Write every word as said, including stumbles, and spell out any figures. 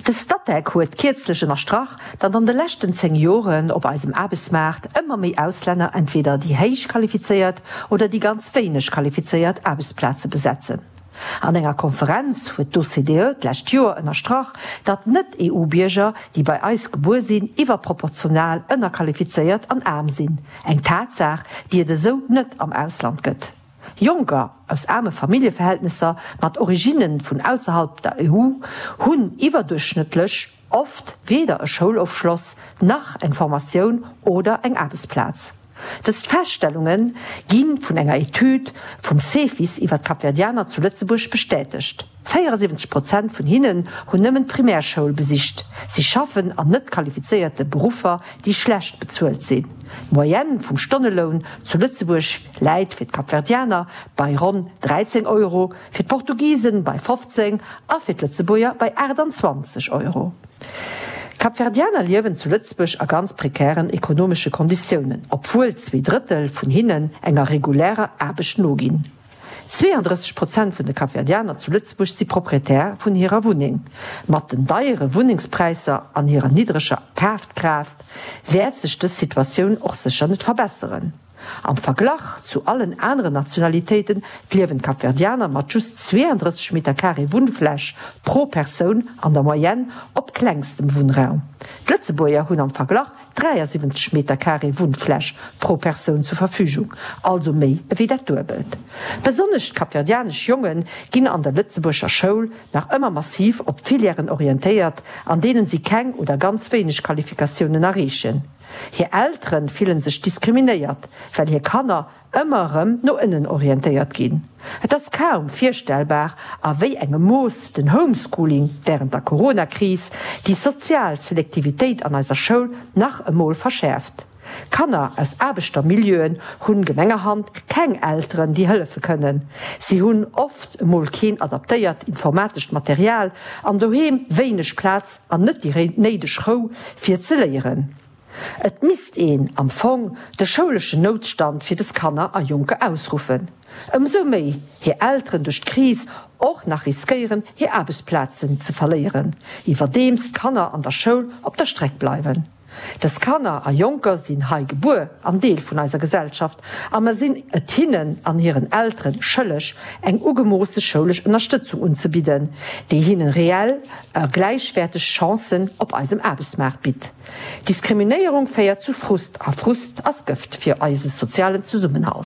De Statec huet kierzlech ënnerstrach, datt an de leschten zéng Joren op eisem Aarbechtsmaart ëmmer méi Auslänner entweder déi héich qualifizéiert oder déi ganz wéineg qualifizéiert Aarbechtsplaze besetzen. An enger Konferenz huet d'OCDE d'lescht Joer ënnerstrach, datt Net-EU-Bierger, déi bei eis gebuer sinn, iwwerproportional ënnerqualifizéiert an aarm sinn, eng Tatsaach, déi et esou net am Ausland gëtt. Jonker aus aarme Familljeverhältnesser mat Originne vun ausserhalb der E U hunn iwwerduerchschnëttlech oft weder e Schoulofschloss nach eng Formatioun oder eng Aarbechtsplaz. Dës Feststellunge gi vun enger Etüd vum Cefis iwwer d'Kapverdianer zu Lëtzebuerg bestätegt. véieresiwwenzeg Prozent vun hinnen hunn nëmmen d'Primärschoul besicht. Si schaffen an net qualifizéierte Beruffer, déi schlecht bezuelt sinn. D'Moyenne vum Stonneloun zu Lëtzebuerg läit fir d'Kapverdianer bei ronn dräizéng Euro, fir d'Portugisen bei fofzéng a fir d'Lëtzebuerger bei aachtanzwanzeg Euro. D'Kapverdianer liewen zu Lëtzebuerg a ganz prekären ekonomesche Konditiounen, obwuel zwee Drëttel vun hinnen enger regulärer Aarbecht noginn. Zweeëndrësseg Prozent vun de Kapverdianer zu Lëtzebuerg si Proprietär vun hirer Wunneng. Mat den deiere Wunnengspräisser an hirer niddreger Kafkraaft wäert sech dës Situatioun och sécher net verbesseren. Am Verglach zu allen aneren Nationalitéiten liewen d'Kapverdianer mat just zweeëndrësseg Meter Carré Wunnfläch pro Persoun an der Moyenne op klengstem Wunnraum. D'Lëtzebuerger hunn am Verglach dräiasiwwenzeg Meter Carré Wunnfläch pro Persoun zur Verfügung, also méi ewéi dat Duebelt. Besonnesch d'kapverdianesch Jonge ginn an der Lëtzebuerger Schoul nach ëmmer massiv op Filièren orientéiert, an deenen si keng oder ganz wéineg Qualifikatiounen erreechen. Hir Eltere fillen sech diskriminéiert, well hir Kanner ëmmer erëm no ënnen orientéiert ginn. Et ass kaum virstellbar, a wéi engem Mooss den Homeschooling wärend der Corona-Kris déi sozial Selektivitéit an eiser Schoul nach emol verschäerft. Kanner aus Aarbechtermilieuen hunn gemengerhand keng Elteren, déi hëllefe kënnen. Si hunn oft emol keen adaptéiert informatescht Material an doheem wéineg Plaz an net déi néideg Rou fir ze léieren. Et misst een am Fong de schouleschen Noutstand fir des Kanner a Jonker ausruffen. Ëmsou méi hir Elteren duerch d'Kris och nach riskéieren hir Aarbechtsplazen ze verléieren, iwwerdeems d'Kanner an der Schoul op der Streck bleiwen. Des Kanner a Jonker sinn hei gebuer an Deel vun eiser Gesellschaft a mer sinn et hinnen an hiren Elteren schëlleg, eng ugemoosse schoulesch Ënnerstëtzung unzebidden, déi hinnen reell a gläichwäerteg Chancen op eisem Aarbechtsmaart bitt. Diskriminéierung féiert zu Frust a Frust ass Gëft fir eise sozialen Zesummenhalt.